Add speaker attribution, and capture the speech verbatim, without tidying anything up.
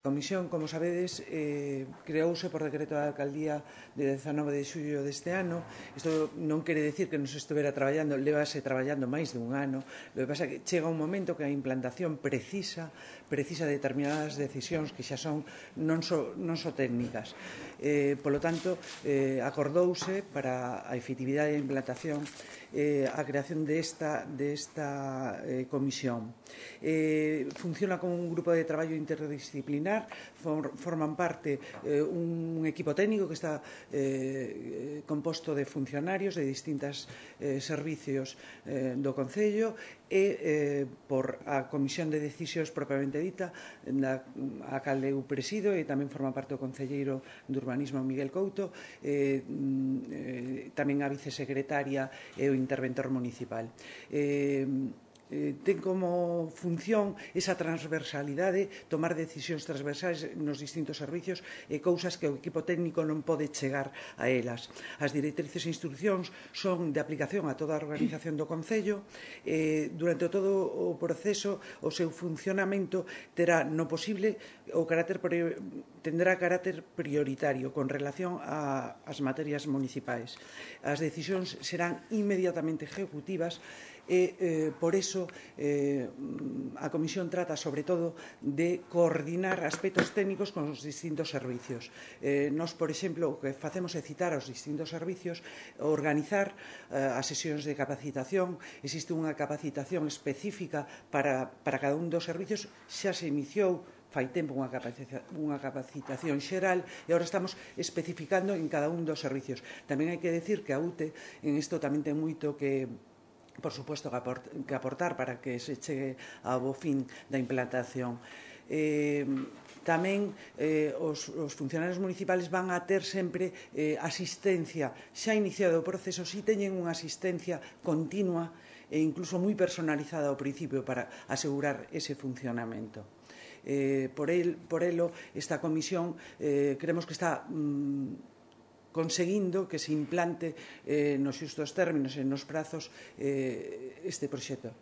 Speaker 1: A Comisión, como sabedes, eh, creouse por decreto da Alcaldía de dezanove de xullo deste ano. Isto non quere decir que non se estuvera traballando, levase traballando máis de un ano. O que pasa é que chega un momento que a implantación precisa precisa determinadas decisións que xa son non só, non só técnicas. Eh, polo tanto, eh, acordouse para a efectividade da implantación eh, a creación desta, desta eh, comisión. Eh, funciona como un grupo de traballo interdisciplinar, for, forman parte eh, un equipo técnico que está eh, composto de funcionarios de distintos eh, servicios eh, do Concello e eh, por a Comisión de Decisións propiamente dita, na, a cal eu presido, e tamén forma parte o concelleiro de Urbanismo Miguel Couto, eh, eh, tamén a vicesecretaria e o interventor municipal. Eh, eh, ten como función esa transversalidade, tomar decisións transversais nos distintos servicios e cousas que o equipo técnico non pode chegar a elas. As directrices e instruccións son de aplicación a toda a organización do Concello. Eh, durante todo o proceso, o seu funcionamento terá no posible o carácter tendrá carácter prioritario con relación ás materias municipais. As decisións serán inmediatamente ejecutivas e, eh, por iso, eh, a Comisión trata, sobre todo, de coordinar aspectos técnicos con os distintos servicios. Eh, nos, por exemplo, o que facemos é citar aos distintos servicios, organizar eh, as sesións de capacitación. Existe unha capacitación específica para, para cada un dos servicios. Xa se iniciou fai tempo unha, capacita, unha capacitación xeral e agora estamos especificando en cada un dos servicios. Tamén hai que decir que a U T E en isto tamén ten moito que por suposto que aportar para que se chegue ao bo fin da implantación. Eh, tamén eh, os, os funcionarios municipales van a ter sempre eh, asistencia, xa iniciado o proceso, si teñen unha asistencia continua e incluso moi personalizada ao principio para asegurar ese funcionamento. Eh, por, el, por elo, esta comisión eh, creemos que está mm, conseguindo que se implante eh, nos xustos términos e nos prazos eh, este proxecto.